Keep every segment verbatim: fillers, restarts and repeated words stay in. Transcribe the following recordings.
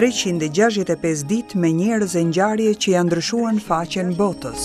treqind e gjashtëdhjetë e pesë ditë me njerëz e ngjarje që janë ndryshuar në faqen botës.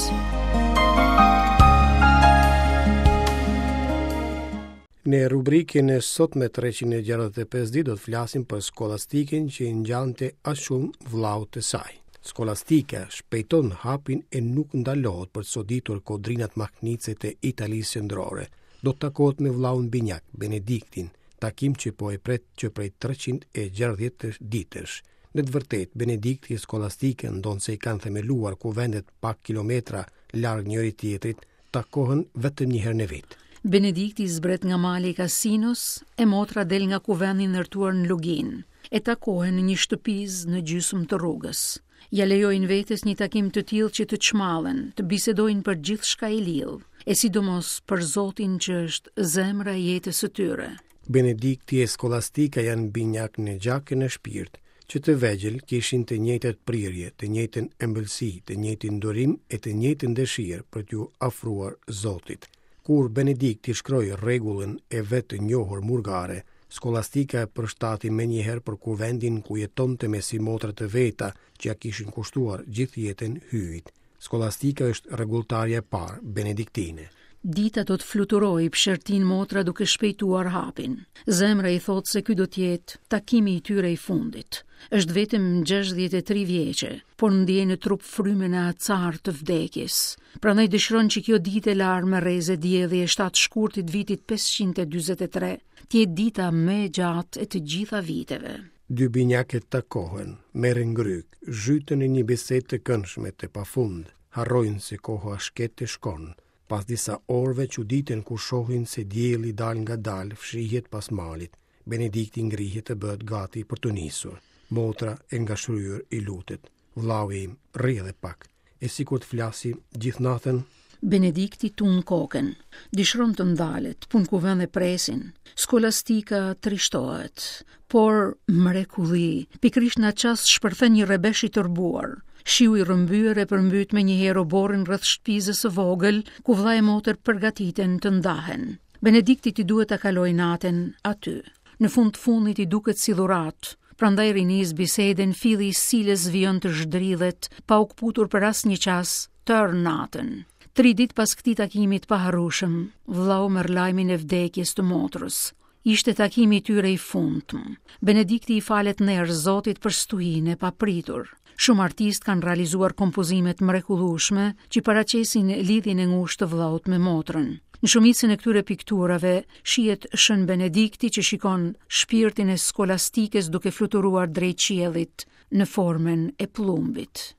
Në rubrikën e sotme treqind e gjashtëdhjetë e pesë ditë do të flasim për skolastikën që i ngjante aq shumë vllaut të saj. Skolastika shpejton hapin e nuk ndalohet për të soditur kodrinat mahnitëse të Italisë qendrore. Do të takohet me vllaun binjak, Benediktin, takim që po e pret që prej treqind e gjashtëdhjetë ditësh. Në të vërtetë, Benedikti e Skolastika, ndonëse i kanë themeluar kuvendet pak kilometra larg njëri tjetrit, takohen vetëm një herë në vit. Benedikti zbret nga mali i Kasinos, e motra del nga kuvendi ndërtuar në Luginë, e takohen në një shtëpizë në gjysmë të rrugës. Ja lejojnë vetes një takim të tillë që të çmallen, të bisedojnë për gjithçka i lidh, e sidomos për Zotin që është zemra e jetës së tyre. Benedikti e Skolastika janë binjak në gjak e në shpirt, që të vegjël kishin të njëjtat prirje, të njëjtën ëmbëlsi, të njëjtin durim e të njëjtën dëshirë për t'ju afruar Zotit. Kur Benedikti shkroi rregullën e vet të njohur murgare, Skolastika e përshtati menjëherë për kuvendin ku jetonte me simotra të veta që ja kishin kushtuar gjithë jetën Hyjit. Skolastika është rregulltarja e parë benediktine. Dita do të fluturojë pshertin motra duke shpejtuar hapin. Zemra i thotë se ky do të jetë takimi i tyre i fundit. Është vetëm gjashtëdhjetë e tri vjeçe, por ndjen në trup frymën e acar të vdekjes. Prandaj dëshiron që kjo ditë e larë me rreze dielli e shtatë shkurtit vitit pesëqind e dyzet e tre të jetë dita më e gjatë e të gjitha viteve. Dy binjakët takohen, merren ngryk, zhyten në një bisedë të këndshme të pafund, harrojnë se koha shket e shkon. Pas disa orëve çuditen kur shohin se dielli dal nga dal fshihet pas malit. Benedikti ngrihet të bëhet gati për të nisur. Motra e ngashryer i lutet. Vllau im, rri edhe pak. E sikur të flasim gjithë natën? Benedikti tund kokën. Dëshiron të ndalet, punë kuvend e presin. Skolastika trishtohet, por mrekulli, pikërisht në atë çast shpërthen një rrebesh i tërbuar. Shiu i rrëmbyer e përmbyt me një herë oborrin rreth shtëpizës së vogël, ku vëlla e motër përgatiten të ndahen. Benediktit i duhet ta kalojë natën aty. Në fund të fundit i duket si dhuratë, prandaj rinis bisedën, filli i silës vijon të zhdridhet, pa u kputur për asnjë çast tërë natën. Tri ditë pas këtij takimi të paharrueshëm, vllau merr lajmin e vdekjes të motrës. Ishte takimi i tyre i fundmë. Benedikti i falet ner Zotit për stuhinë e papritur. Shumë artistë kanë realizuar kompozime të mrekullueshme që paraqesin lidhjen e ngushtë të vllaut me motrën. Në shumicën e këtyre pikturave shihet Shën Benedikti që shikon shpirtin e skolastikës duke fluturuar drejt qiellit në formën e plumbit.